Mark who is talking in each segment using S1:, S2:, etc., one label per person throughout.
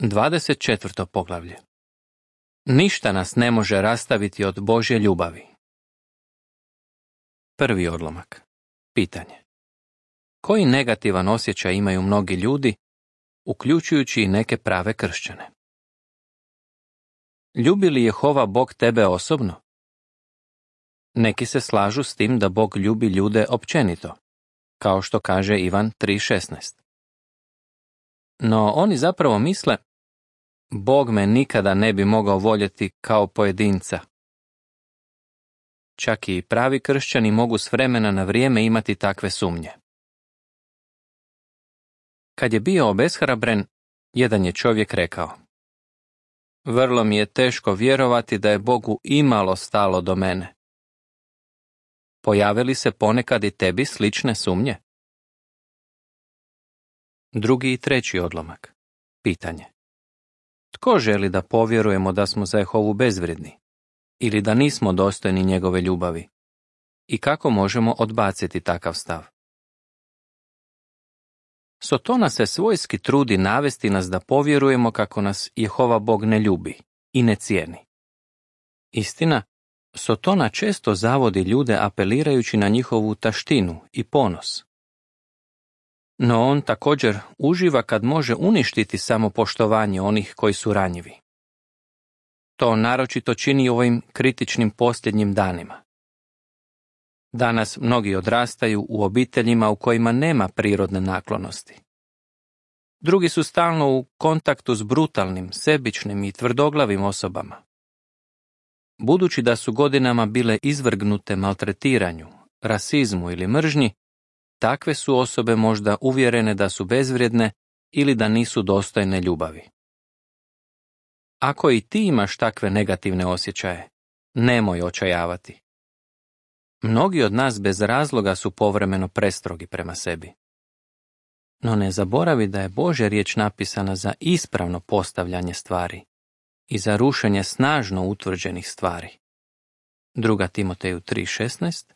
S1: 24. poglavlje. Ništa nas ne može rastaviti od Božje ljubavi. Prvi odlomak. Pitanje. Koji negativan osjećaj imaju mnogi ljudi, uključujući i neke prave kršćane? Ljubi li Jehova Bog tebe osobno? Neki se slažu s tim da Bog ljubi ljude općenito, kao što kaže Ivan 3.16. No oni zapravo misle, Bog me nikada ne bi mogao voljeti kao pojedinca. Čak i pravi kršćani mogu s vremena na vrijeme imati takve sumnje. Kad je bio obeshrabren, jedan je čovjek rekao: vrlo mi je teško vjerovati da je Bogu imalo stalo do mene. Pojave li se ponekad i tebi slične sumnje? Drugi i treći odlomak. Pitanje. Tko želi da povjerujemo da smo za Jehovu bezvrijedni ili da nismo dostojni njegove ljubavi? I kako možemo odbaciti takav stav? Sotona se svojski trudi navesti nas da povjerujemo kako nas Jehova Bog ne ljubi i ne cijeni. Istina, Sotona često zavodi ljude apelirajući na njihovu taštinu i ponos. No on također uživa kad može uništiti samopoštovanje onih koji su ranjivi. To naročito čini u ovim kritičnim posljednjim danima. Danas mnogi odrastaju u obiteljima u kojima nema prirodne naklonosti. Drugi su stalno u kontaktu s brutalnim, sebičnim i tvrdoglavim osobama. Budući da su godinama bile izvrgnute maltretiranju, rasizmu ili mržnji, takve su osobe možda uvjerene da su bezvrijedne ili da nisu dostojne ljubavi. Ako i ti imaš takve negativne osjećaje, nemoj očajavati. Mnogi od nas bez razloga su povremeno prestrogi prema sebi. No ne zaboravi da je Božja riječ napisana za ispravno postavljanje stvari i za rušenje snažno utvrđenih stvari. 2. Timoteju 3.16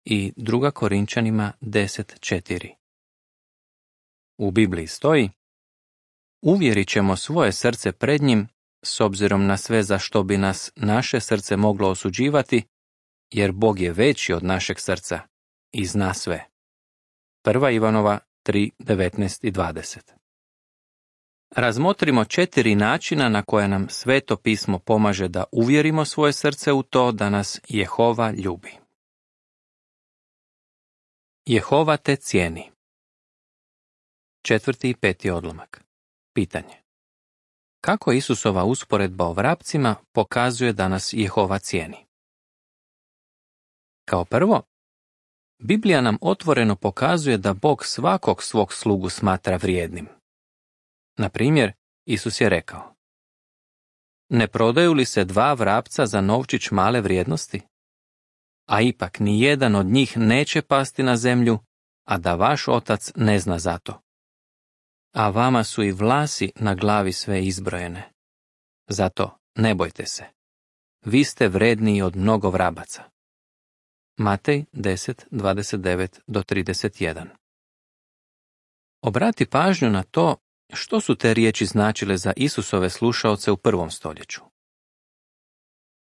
S1: i 2. Korinčanima 10.4. U Bibliji stoji: uvjerit ćemo svoje srce pred njim s obzirom na sve za što bi nas naše srce moglo osuđivati, jer Bog je veći od našeg srca i zna sve. 1. Ivanova 3.19 i 20. Razmotrimo 4 načina na koje nam Sveto pismo pomaže da uvjerimo svoje srce u to da nas Jehova ljubi. Jehova te cijeni. 4. i 5. odlomak. Pitanje. Kako Isusova usporedba o vrapcima pokazuje da nas Jehova cijeni? Kao prvo, Biblija nam otvoreno pokazuje da Bog svakog svog slugu smatra vrijednim. Na primjer, Isus je rekao: ne prodaju li se 2 vrapca za novčić male vrijednosti? A ipak ni jedan od njih neće pasti na zemlju, a da vaš otac ne zna za to. A vama su i vlasi na glavi sve izbrojene. Zato ne bojte se. Vi ste vredniji od mnogo vrabaca. Matej 10.29-31. Obrati pažnju na to što su te riječi značile za Isusove slušaoce u 1. stoljeću.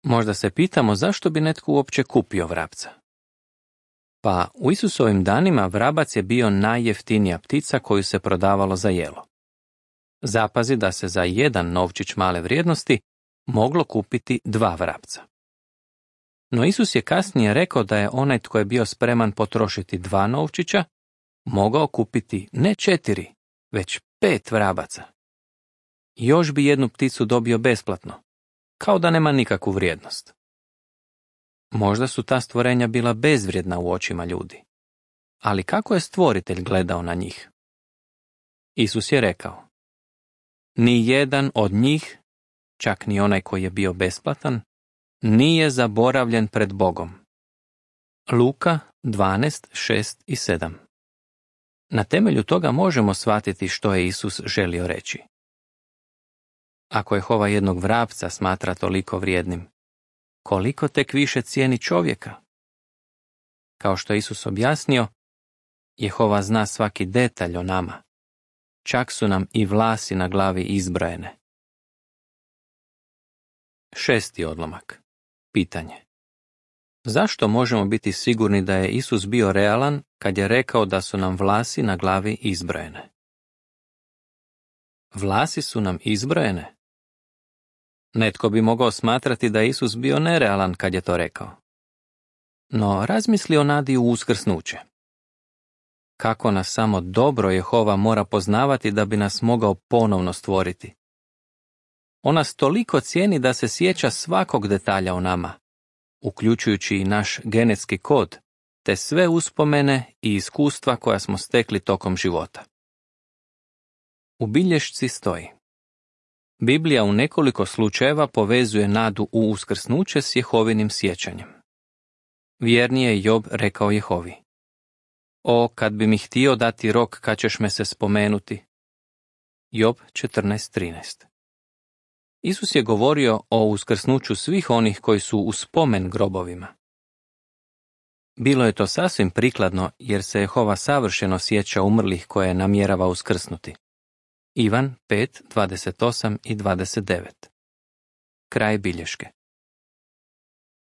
S1: Možda se pitamo zašto bi netko uopće kupio vrapca. Pa u Isusovim danima vrabac je bio najjeftinija ptica koju se prodavalo za jelo. Zapazi da se za 1 novčić male vrijednosti moglo kupiti 2 vrapca. No Isus je kasnije rekao da je onaj tko je bio spreman potrošiti 2 novčića mogao kupiti ne 4, već 5 vrabaca. Još bi jednu pticu dobio besplatno, kao da nema nikakvu vrijednost. Možda su ta stvorenja bila bezvrijedna u očima ljudi, ali kako je stvoritelj gledao na njih? Isus je rekao: ni jedan od njih, čak ni onaj koji je bio besplatan, nije zaboravljen pred Bogom. Luka 12.6 i 7. Na temelju toga možemo shvatiti što je Isus želio reći. Ako Jehova jednog vrapca smatra toliko vrijednim, koliko tek više cijeni čovjeka? Kao što je Isus objasnio, Jehova zna svaki detalj o nama čak su nam i vlasi na glavi izbrojene. 6. odlomak. Pitanje. Zašto možemo biti sigurni da je Isus bio realan kad je rekao da su nam vlasi na glavi izbrojene? Vlasi su nam izbrojene? Netko bi mogao smatrati da je Isus bio nerealan kad je to rekao. No razmisli o nadi u uskrsnuće. Kako nas samo dobro Jehova mora poznavati da bi nas mogao ponovno stvoriti. On nas toliko cijeni da se sjeća svakog detalja o nama, uključujući i naš genetski kod, te sve uspomene i iskustva koja smo stekli tokom života. U bilješci stoji: Biblija u nekoliko slučajeva povezuje nadu u uskrsnuće s Jehovinim sjećanjem. Vjerni je Job rekao Jehovi: O, kad bi mi htio dati rok kad ćeš me se spomenuti. Job 14.13. Isus je govorio o uskrsnuću svih onih koji su u spomen grobovima. Bilo je to sasvim prikladno jer se Jehova savršeno sjeća umrlih koje namjerava uskrsnuti. Ivan 5.28 i 29. Kraj bilješke.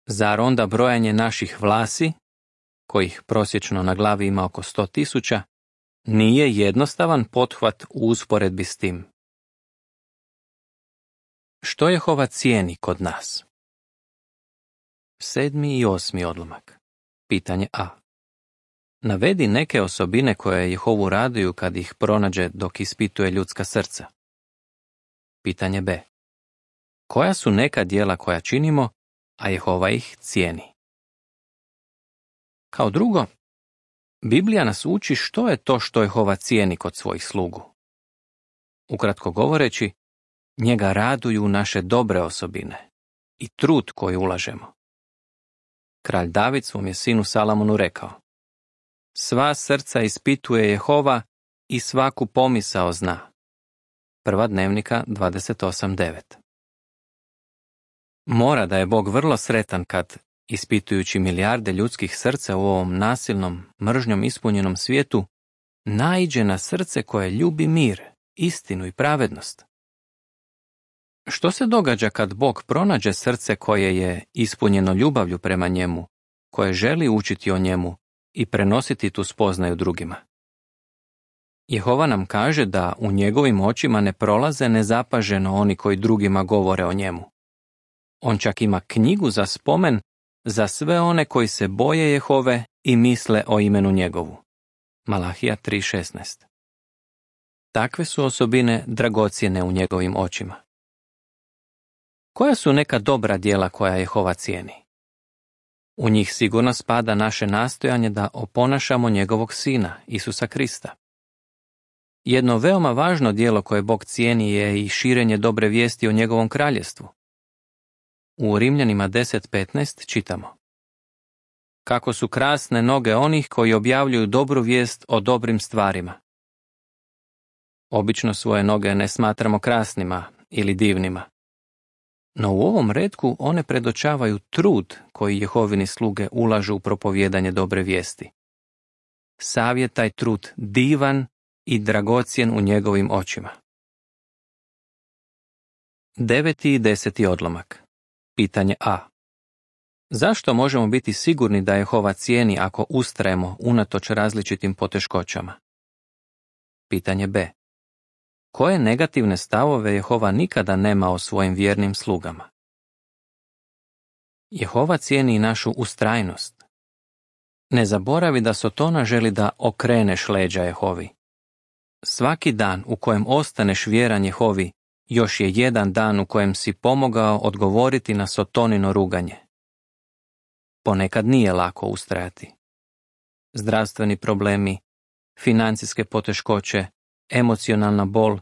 S1: Zar onda brojanje naših vlasi, kojih prosječno na glavi ima oko 100.000, nije jednostavan pothvat u usporedbi s tim? Što Jehova cijeni kod nas? 7. i 8. odlomak. Pitanje A. Navedi neke osobine koje Jehovu raduju kad ih pronađe dok ispituje ljudska srca. Pitanje B. Koja su neka djela koja činimo, a Jehova ih cijeni? Kao drugo, Biblija nas uči što je to što Jehova cijeni kod svojih slugu. Ukratko govoreći, njega raduju naše dobre osobine i trud koji ulažemo. Kralj David svom je sinu Salamonu rekao: Sva srca ispituje Jehova i svaku pomisao zna. Prva Dnevnika 28.9. Mora da je Bog vrlo sretan kad, ispitujući milijarde ljudskih srca u ovom nasilnom, mržnjom ispunjenom svijetu, naiđe na srce koje ljubi mir, istinu i pravednost. Što se događa kad Bog pronađe srce koje je ispunjeno ljubavlju prema njemu, koje želi učiti o njemu i prenositi tu spoznaju drugima? Jehova nam kaže da u njegovim očima ne prolaze nezapaženo oni koji drugima govore o njemu. On čak ima knjigu za spomen za sve one koji se boje Jehove i misle o imenu njegovu. Malahija 3.16. Takve su osobine dragocjene u njegovim očima. Koja su neka dobra djela koja Jehova cijeni? U njih sigurno spada naše nastojanje da oponašamo njegovog sina, Isusa Krista. Jedno veoma važno djelo koje Bog cijeni je i širenje dobre vijesti o njegovom kraljestvu. U Rimljanima 10.15 čitamo: Kako su krasne noge onih koji objavljuju dobru vijest o dobrim stvarima. Obično svoje noge ne smatramo krasnima ili divnima. No u ovom retku one predočavaju trud koji Jehovini sluge ulažu u propovijedanje dobre vijesti. Sav je taj trud divan i dragocjen u njegovim očima. 9. i 10. odlomak. Pitanje A. Zašto možemo biti sigurni da Jehova cijeni ako ustrajemo unatoč različitim poteškoćama? Pitanje B. Koje negativne stavove Jehova nikada nema o svojim vjernim slugama? Jehova cijeni i našu ustrajnost. Ne zaboravi da Sotona želi da okreneš leđa Jehovi. Svaki dan u kojem ostaneš vjeran Jehovi, još je jedan dan u kojem si pomogao odgovoriti na Sotonino ruganje. Ponekad nije lako ustrajati. Zdravstveni problemi, financijske poteškoće, emocionalna bol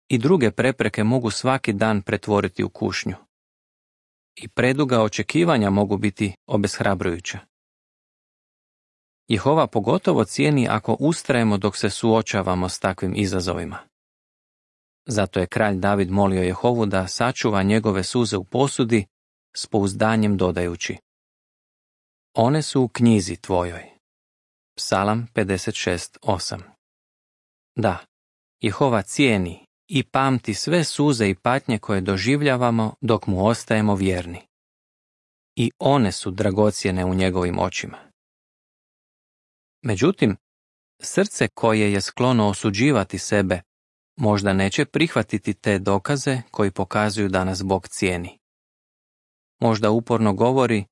S1: i druge prepreke mogu svaki dan pretvoriti u kušnju. I preduga očekivanja mogu biti obeshrabrujuća. Jehova pogotovo cijeni ako ustrajemo dok se suočavamo s takvim izazovima. Zato je kralj David molio Jehovu da sačuva njegove suze u posudi s pouzdanjem dodajući: One su u knjizi tvojoj. Psalam 56.8. Da, Jehova cijeni i pamti sve suze i patnje koje doživljavamo dok mu ostajemo vjerni. I one su dragocjene u njegovim očima. Međutim, srce koje je sklono osuđivati sebe možda neće prihvatiti te dokaze koji pokazuju da nas Bog cijeni. Možda uporno govori,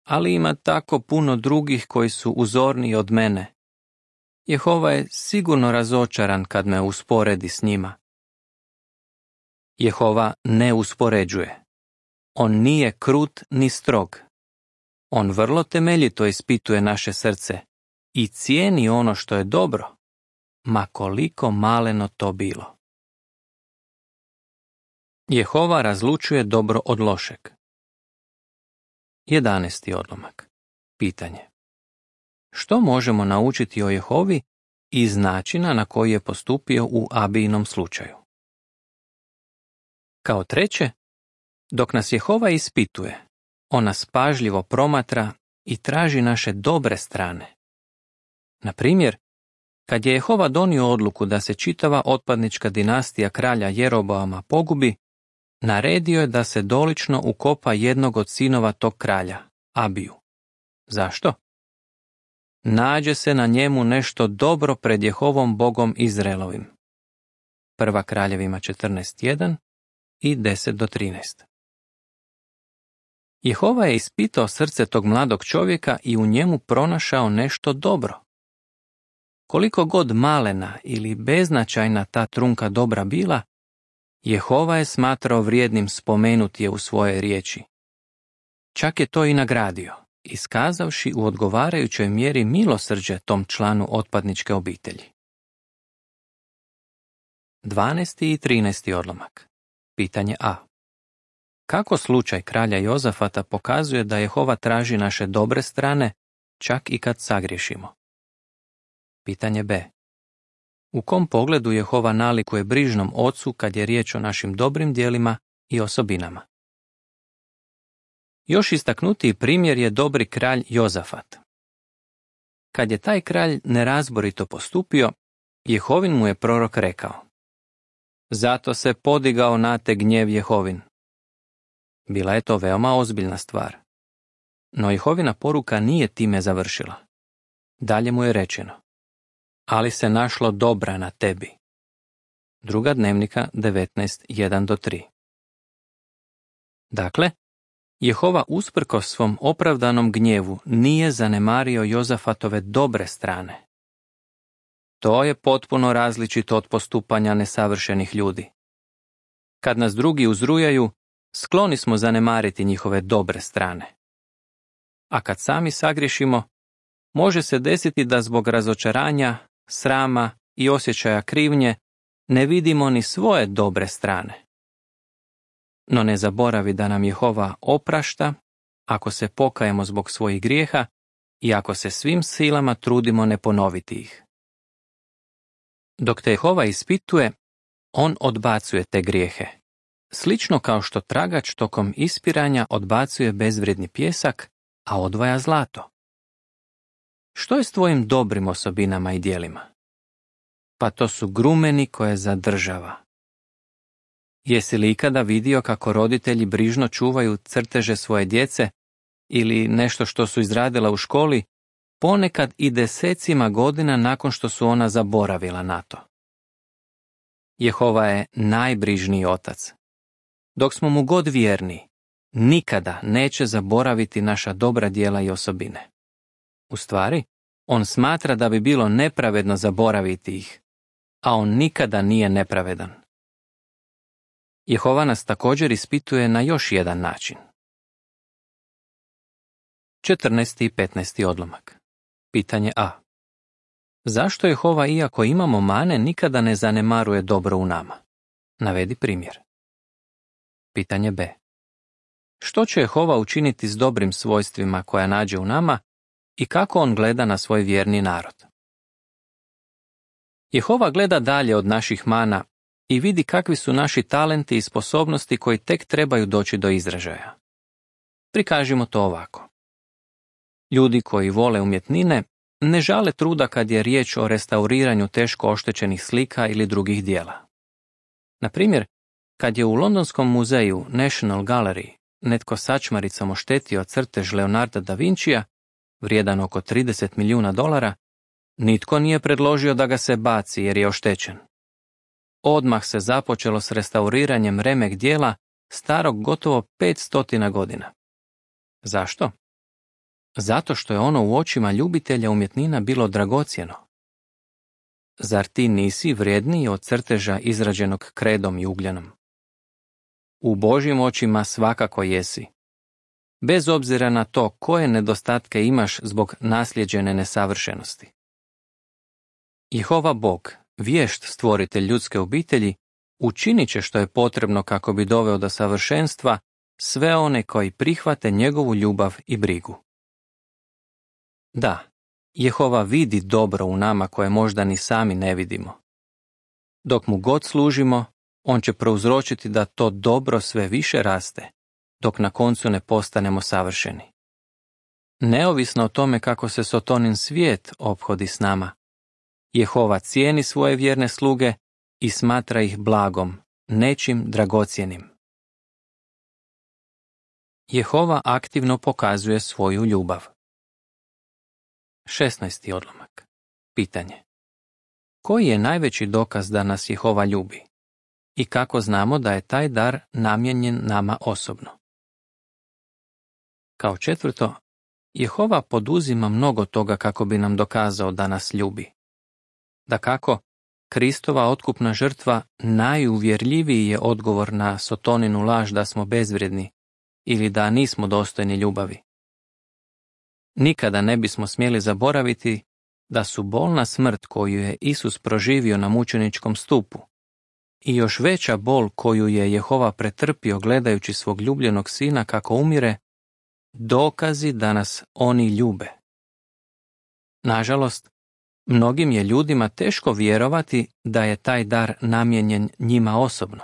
S1: ali ima tako puno drugih koji su uzorniji od mene. Jehova je sigurno razočaran kad me usporedi s njima. Jehova ne uspoređuje. On nije krut ni strog. On vrlo temeljito ispituje naše srce i cijeni ono što je dobro, ma koliko maleno to bilo. Jehova razlučuje dobro od lošeg. 11. odlomak. Pitanje. Što možemo naučiti o Jehovi iz načina na koji je postupio u Abijinom slučaju? Kao treće, dok nas Jehova ispituje, on nas pažljivo promatra i traži naše dobre strane. Na primjer, kad je Jehova donio odluku da se čitava otpadnička dinastija kralja Jeroboama pogubi, naredio je da se dolično ukopa jednog od sinova tog kralja, Abiju. Zašto? Nađe se na njemu nešto dobro pred Jehovom Bogom Izraelovim. 1. Kraljevima 14.1 i 10-13. Jehova je ispitao srce tog mladog čovjeka i u njemu pronašao nešto dobro. Koliko god malena ili beznačajna ta trunka dobra bila, Jehova je smatrao vrijednim spomenuti je u svojoj riječi. Čak je to i nagradio, iskazavši u odgovarajućoj mjeri milosrđe tom članu otpadničke obitelji. 12. i 13. odlomak. Pitanje A. Kako slučaj kralja Jozafata pokazuje da Jehova traži naše dobre strane, čak i kad sagriješimo? Pitanje B. U kom pogledu Jehova nalikuje brižnom ocu kad je riječ o našim dobrim djelima i osobinama? Još istaknutiji primjer je dobri kralj Jozafat. Kad je taj kralj nerazborito postupio, Jehovin mu je prorok rekao: Zato se podigao na te gnjev Jehovin. Bila je to veoma ozbiljna stvar. No Jehovina poruka nije time završila. Dalje mu je rečeno: Ali se našlo dobra na tebi. 2. Dnevnika 19.1-3. Dakle, Jehova usprkos svom opravdanom gnjevu nije zanemario Jozafatove dobre strane. To je potpuno različito od postupanja nesavršenih ljudi. Kad nas drugi uzrujaju, skloni smo zanemariti njihove dobre strane. A kad sami sagriješimo, može se desiti da zbog razočaranja, srama i osjećaja krivnje ne vidimo ni svoje dobre strane. No ne zaboravi da nam Jehova oprašta ako se pokajemo zbog svojih grijeha i ako se svim silama trudimo ne ponoviti ih. Dok te Jehova ispituje, on odbacuje te grijehe. Slično kao što tragač tokom ispiranja odbacuje bezvrijedni pjesak, a odvaja zlato. Što je s tvojim dobrim osobinama i djelima? Pa to su grumeni koje zadržava. Jesi li ikada vidio kako roditelji brižno čuvaju crteže svoje djece ili nešto što su izradila u školi, ponekad i desecima godina nakon što su ona zaboravila na to? Jehova je najbrižniji otac. Dok smo mu god vjerni, nikada neće zaboraviti naša dobra djela i osobine. U stvari, on smatra da bi bilo nepravedno zaboraviti ih, a on nikada nije nepravedan. Jehova nas također ispituje na još jedan način. 14. i 15. odlomak. Pitanje A. Zašto Jehova, iako imamo mane, nikada ne zanemaruje dobro u nama? Navedi primjer. Pitanje B. Što će Jehova učiniti s dobrim svojstvima koja nađe u nama i kako on gleda na svoj vjerni narod? Jehova gleda dalje od naših mana i vidi kakvi su naši talenti i sposobnosti koji tek trebaju doći do izražaja. Prikažimo to ovako. Ljudi koji vole umjetnine ne žale truda kad je riječ o restauriranju teško oštećenih slika ili drugih dijela. Na primjer, kad je u Londonskom muzeju National Gallery netko sačmaricom oštetio crtež Leonarda da Vincija, vrijedan oko $30 milijuna, nitko nije predložio da ga se baci jer je oštećen. Odmah se započelo s restauriranjem remek dijela starog gotovo 500 godina. Zašto? Zato što je ono u očima ljubitelja umjetnina bilo dragocjeno. Zar ti nisi vrijedniji od crteža izrađenog kredom i ugljenom? U Božjim očima svakako jesi. Bez obzira na to koje nedostatke imaš zbog naslijeđene nesavršenosti. Jehova Bog, vješt stvoritelj ljudske obitelji, učinit će što je potrebno kako bi doveo do savršenstva sve one koji prihvate njegovu ljubav i brigu. Da, Jehova vidi dobro u nama koje možda ni sami ne vidimo. Dok mu god služimo, on će prouzročiti da to dobro sve više raste, dok na koncu ne postanemo savršeni. Neovisno o tome kako se Sotonin svijet ophodi s nama, Jehova cijeni svoje vjerne sluge i smatra ih blagom, nečim dragocjenim. Jehova aktivno pokazuje svoju ljubav. 16. odlomak. Pitanje. Koji je najveći dokaz da nas Jehova ljubi? I kako znamo da je taj dar namijenjen nama osobno? Kao četvrto, Jehova poduzima mnogo toga kako bi nam dokazao da nas ljubi. Dakako, Kristova otkupna žrtva najuvjerljiviji je odgovor na Sotoninu laž da smo bezvrijedni ili da nismo dostojni ljubavi. Nikada ne bismo smjeli zaboraviti da su bolna smrt koju je Isus proživio na mučeničkom stupu i još veća bol koju je Jehova pretrpio gledajući svog ljubljenog sina kako umire, dokazi da nas oni ljube. Nažalost, mnogim je ljudima teško vjerovati da je taj dar namijenjen njima osobno.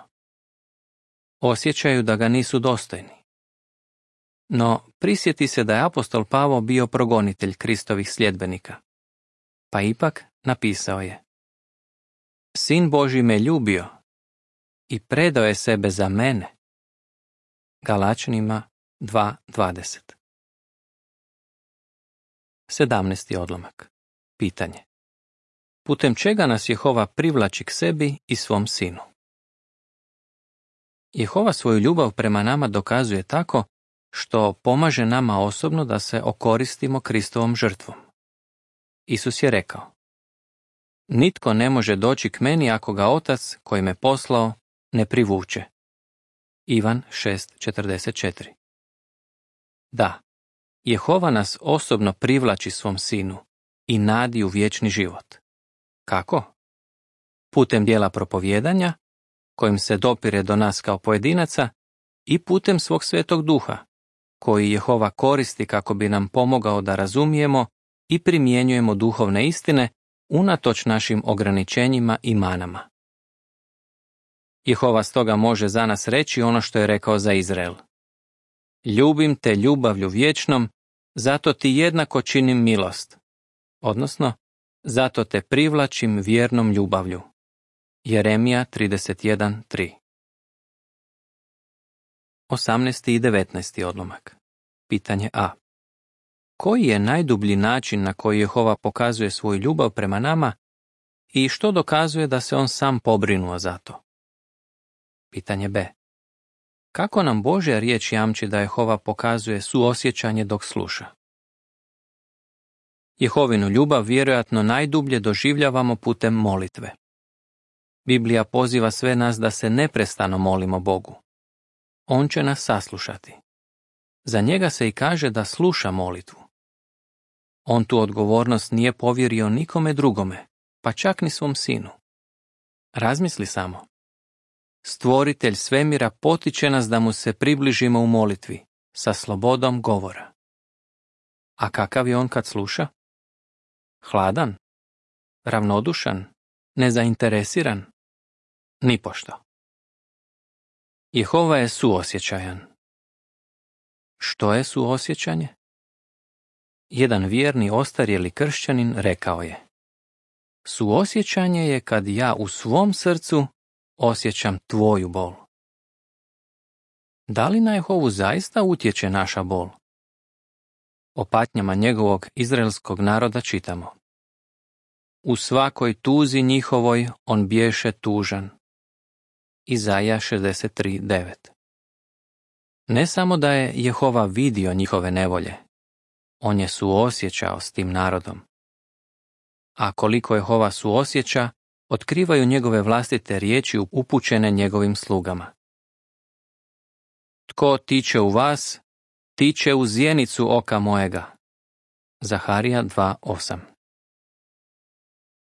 S1: Osjećaju da ga nisu dostojni. No, prisjeti se da je apostol Pavao bio progonitelj Kristovih sljedbenika. Pa ipak napisao je: Sin Božji me ljubio i predao je sebe za mene. Galačanima 2:20. 17. odlomak. Pitanje. Putem čega nas Jehova privlači k sebi i svom sinu? Jehova svoju ljubav prema nama dokazuje tako što pomaže nama osobno da se okoristimo Kristovom žrtvom. Isus je rekao: Nitko ne može doći k meni ako ga Otac koji me poslao ne privuče. Ivan 6:44. Da, Jehova nas osobno privlači svom sinu i nadi u vječni život. Kako? Putem dijela propovijedanja, kojim se dopire do nas kao pojedinaca, i putem svog Svetog Duha, koji Jehova koristi kako bi nam pomogao da razumijemo i primjenjujemo duhovne istine unatoč našim ograničenjima i manama. Jehova stoga može za nas reći ono što je rekao za Izrael: Ljubim te ljubavlju vječnom, zato ti jednako činim milost, odnosno, zato te privlačim vjernom ljubavlju. Jeremija 31:3. 18. i 19. odlomak. Pitanje A. Koji je najdublji način na koji Jehova pokazuje svoju ljubav prema nama i što dokazuje da se on sam pobrinuo za to? Pitanje B. Kako nam Božja riječ jamči da Jehova pokazuje suosjećanje dok sluša? Jehovinu ljubav vjerojatno najdublje doživljavamo putem molitve. Biblija poziva sve nas da se neprestano molimo Bogu. On će nas saslušati. Za njega se i kaže da sluša molitvu. On tu odgovornost nije povjerio nikome drugome, pa čak ni svom sinu. Razmisli samo. Stvoritelj svemira potiče nas da mu se približimo u molitvi, sa slobodom govora. A kakav je on kad sluša? Hladan? Ravnodušan? Nezainteresiran? Nipošto. Jehova je suosjećajan. Što je suosjećanje? jedan vjerni ostarjeli kršćanin rekao je: Suosjećanje je kad ja u svom srcu osjećam tvoju bol. Da li na Jehovu zaista utječe naša bol? O patnjama njegovog izraelskog naroda čitamo: U svakoj tuzi njihovoj on bješe tužan. Izaja 63:9. Ne samo da je Jehova vidio njihove nevolje, on je suosjećao s tim narodom. A koliko Jehova suosjeća, otkrivaju njegove vlastite riječi upućene njegovim slugama. Tko tiče u vas, tiče u zjenicu oka mojega. Zaharija 2:8.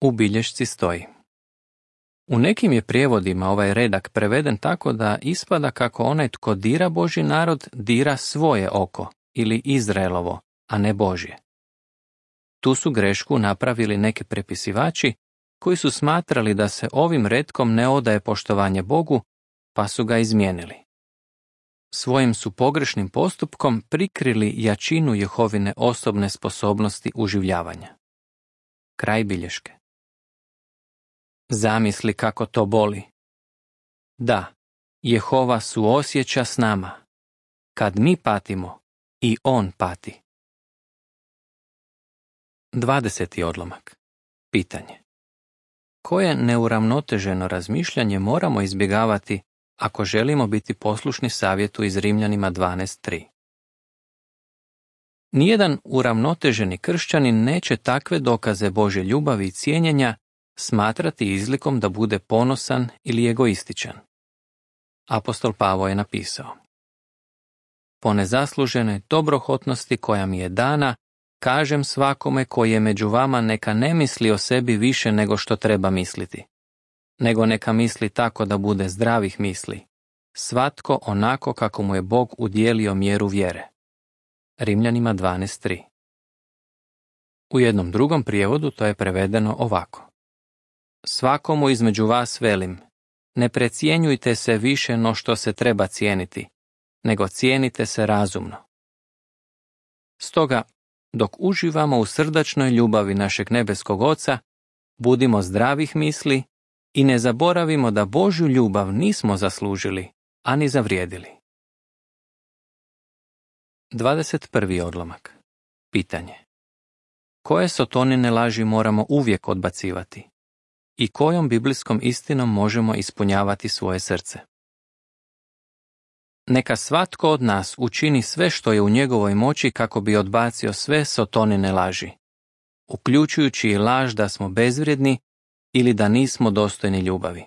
S1: U bilješci stoji: U nekim je prijevodima ovaj redak preveden tako da ispada kako onaj tko dira Božji narod dira svoje oko ili Izraelovo, a ne Božje. Tu su grešku napravili neki prepisivači koji su smatrali da se ovim retkom ne odaje poštovanje Bogu, pa su ga izmijenili. Svojim su pogrešnim postupkom prikrili jačinu Jehovine osobne sposobnosti uživljavanja. Kraj bilješke. Zamisli kako to boli. Da, Jehova suosjeća s nama. Kad mi patimo, i on pati. 20. odlomak. Pitanje. Koje neuravnoteženo razmišljanje moramo izbjegavati ako želimo biti poslušni savjetu iz Rimljanima 12:3? Nijedan uravnoteženi kršćanin neće takve dokaze Božje ljubavi i cijenjenja smatrati izlikom da bude ponosan ili egoističan. Apostol Pavao je napisao: Po nezasluženoj dobrohotnosti koja mi je dana, kažem svakome koji je među vama neka ne misli o sebi više nego što treba misliti, nego neka misli tako da bude zdravih misli, svatko onako kako mu je Bog udijelio mjeru vjere. Rimljanima 12:3. U jednom drugom prijevodu to je prevedeno ovako: Svakomu između vas velim, ne precijenjujte se više no što se treba cijeniti, nego cijenite se razumno. Stoga, dok uživamo u srdačnoj ljubavi našeg nebeskog Oca, budimo zdravih misli i ne zaboravimo da Božju ljubav nismo zaslužili, ani zavrijedili. 21. odlomak. Pitanje. Koje sotonine laži moramo uvijek odbacivati? I kojom biblijskom istinom možemo ispunjavati svoje srce? Neka svatko od nas učini sve što je u njegovoj moći kako bi odbacio sve sotonine laži, uključujući i laž da smo bezvrijedni ili da nismo dostojni ljubavi.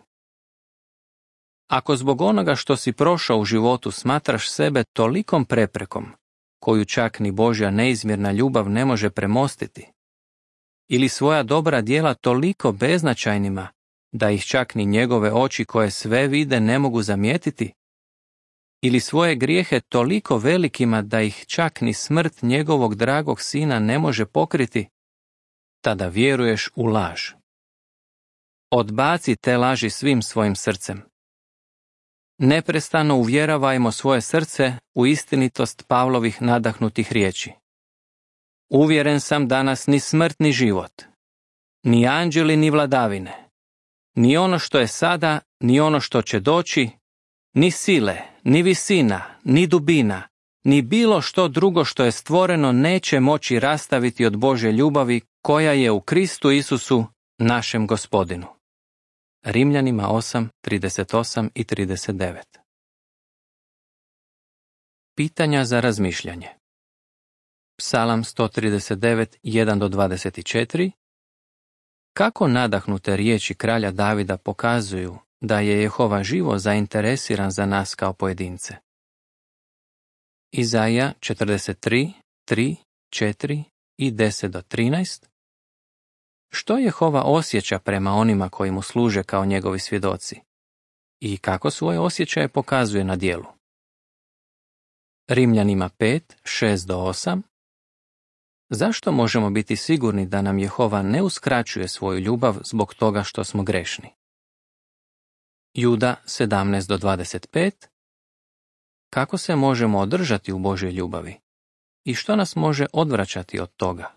S1: Ako zbog onoga što si prošao u životu smatraš sebe tolikom preprekom, koju čak ni Božja neizmjerna ljubav ne može premostiti, ili svoja dobra djela toliko beznačajnima da ih čak ni njegove oči koje sve vide ne mogu zamijetiti, ili svoje grijehe toliko velikima da ih čak ni smrt njegovog dragog sina ne može pokriti, tada vjeruješ u laž. Odbaci te laži svim svojim srcem. Neprestano uvjeravajmo svoje srce u istinitost Pavlovih nadahnutih riječi. Uvjeren sam da nas ni smrt ni život, ni anđeli ni vladavine, ni ono što je sada, ni ono što će doći, ni sile, ni visina, ni dubina, ni bilo što drugo što je stvoreno neće moći rastaviti od Božje ljubavi koja je u Kristu Isusu, našem Gospodinu. Rimljanima 8:38 i 39. Pitanja za razmišljanje. Psalam 139, 1-24. Kako nadahnute riječi kralja Davida pokazuju da je Jehova živo zainteresiran za nas kao pojedince? Izaja 43, 3, 4 i 10-13. Što Jehova osjeća prema onima koji mu služe kao njegovi svjedoci? I kako svoje osjećaje pokazuje na djelu? Rimljanima 5, 6-8. Zašto možemo biti sigurni da nam Jehova ne uskraćuje svoju ljubav zbog toga što smo grešni? Juda 17-25. Kako se možemo održati u Božjoj ljubavi? i što nas može odvraćati od toga?